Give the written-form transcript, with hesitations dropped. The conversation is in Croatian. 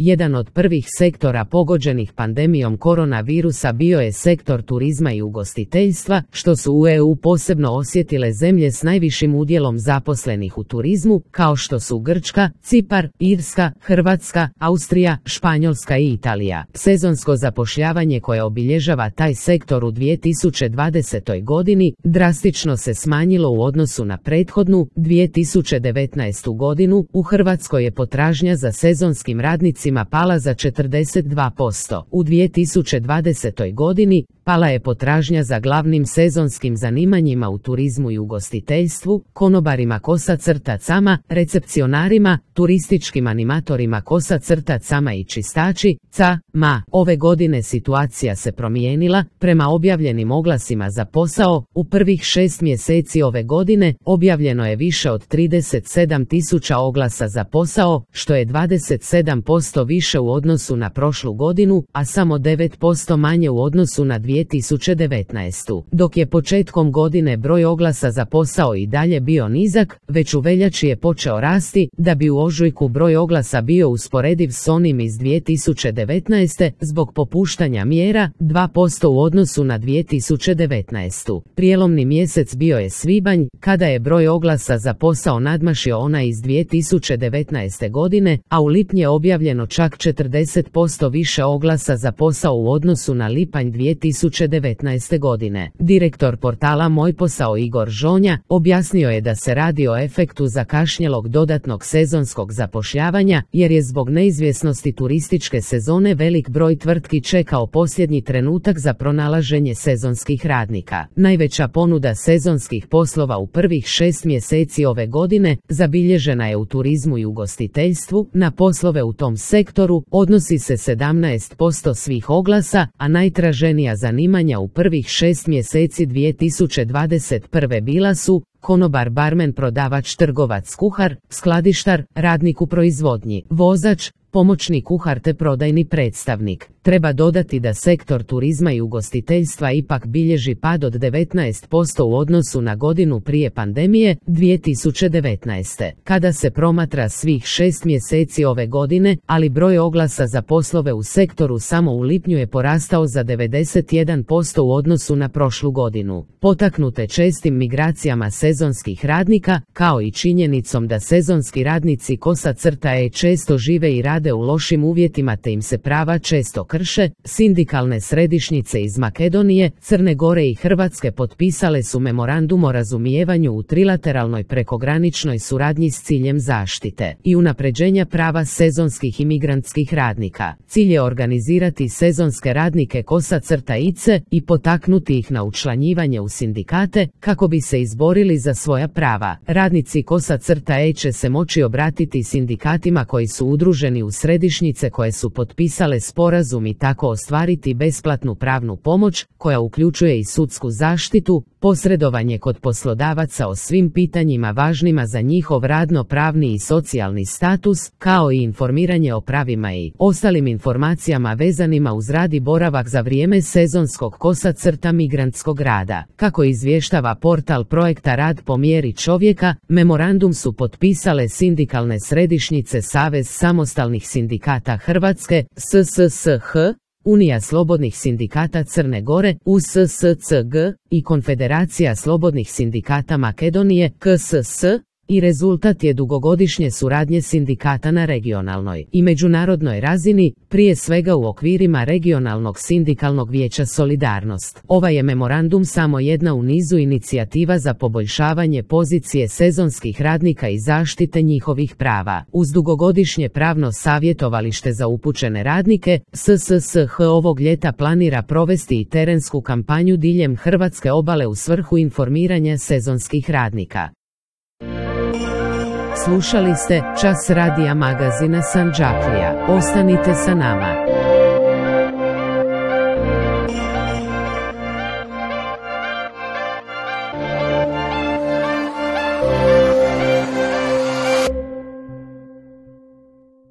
jedan od prvih sektora pogođenih pandemijom koronavirusa bio je sektor turizma i ugostiteljstva, što su u EU posebno osjetile zemlje s najvišim udjelom zaposlenih u turizmu, kao što su Grčka, Cipar, Irska, Hrvatska, Austrija, Španjolska i Italija. Sezonsko zapošljavanje koje obilježava taj sektor u 2020. godini drastično se smanjilo u odnosu na prethodnu 2019. godinu. U Hrvatskoj je potražnja za sezonskim radnicima pala za 42%. U 2020. godini pala je potražnja za glavnim sezonskim zanimanjima u turizmu i ugostiteljstvu, konobarima kosa-crtacama, recepcionarima, turističkim animatorima kosa-crtacama i čistači-cama. Ove godine situacija se promijenila. Prema objavljenim oglasima za posao, u prvih 6 mjeseci ove godine objavljeno je više od 37.000 oglasa za posao, što je 27% više u odnosu na prošlu godinu, a samo 9% manje u odnosu na 2019. Dok je početkom godine broj oglasa za posao i dalje bio nizak, već u veljači je počeo rasti, da bi u ožujku broj oglasa bio usporediv s onim iz 2019. zbog popuštanja mjera 2% u odnosu na 2019. Prijelomni mjesec bio je svibanj, kada je broj oglasa za posao nadmašio onaj iz 2019. godine, a u lipnju je objavljeno čak 40% više oglasa za posao u odnosu na lipanj 2019. godine. Direktor portala Moj posao Igor Žonja objasnio je da se radi o efektu zakašnjelog dodatnog sezonskog zapošljavanja, jer je zbog neizvjesnosti turističke sezone velik broj tvrtki čekao posljednji trenutak za pronalaženje sezonskih radnika. Najveća ponuda sezonskih poslova u prvih 6 mjeseci ove godine zabilježena je u turizmu i ugostiteljstvu. Na poslove u tom sektoru odnosi se 17% svih oglasa, a najtraženija zanimanja u prvih 6 mjeseci 2021. bila su konobar, barmen, prodavač, trgovac, kuhar, skladištar, radnik u proizvodnji, vozač, pomoćni kuhar te prodajni predstavnik. Treba dodati da sektor turizma i ugostiteljstva ipak bilježi pad od 19% u odnosu na godinu prije pandemije 2019. Kada se promatra svih 6 mjeseci ove godine, ali broj oglasa za poslove u sektoru samo u lipnju je porastao za 91% u odnosu na prošlu godinu. Potaknute čestim migracijama sezonskih radnika, kao i činjenicom da sezonski radnici kosa-crtae često žive i rade u lošim uvjetima te im se prava često krše, sindikalne središnjice iz Makedonije, Crne Gore i Hrvatske potpisale su memorandum o razumijevanju u trilateralnoj prekograničnoj suradnji s ciljem zaštite i unapređenja prava sezonskih i migrantskih radnika. Cilj je organizirati sezonske radnike kosa-crtaice i potaknuti ih na učlanjivanje u sindikate kako bi se izborili za svoja prava. Radnici kosa-crtae će se moći obratiti sindikatima koji su udruženi u središnjice koje su potpisale sporazum i tako ostvariti besplatnu pravnu pomoć, koja uključuje i sudsku zaštitu, posredovanje kod poslodavaca o svim pitanjima važnima za njihov radno-pravni i socijalni status, kao i informiranje o pravima i ostalim informacijama vezanima uz rad i boravak za vrijeme sezonskog kosa-crta migrantskog rada. Kako izvještava portal projekta Rad po mjeri čovjeka, memorandum su potpisale sindikalne središnjice Savez samostalnih sindikata Hrvatske, SSSH, Unija slobodnih sindikata Crne Gore, USSCG, i Konfederacija slobodnih sindikata Makedonije, KSS, i rezultat je dugogodišnje suradnje sindikata na regionalnoj i međunarodnoj razini, prije svega u okvirima regionalnog sindikalnog vijeća Solidarnost. Ovaj je memorandum samo jedna u nizu inicijativa za poboljšavanje pozicije sezonskih radnika i zaštite njihovih prava. Uz dugogodišnje pravno savjetovalište za upućene radnike, SSSH ovog ljeta planira provesti i terensku kampanju diljem hrvatske obale u svrhu informiranja sezonskih radnika. Slušali ste Čas radija magazina Sandžaklija. Ostanite sa nama.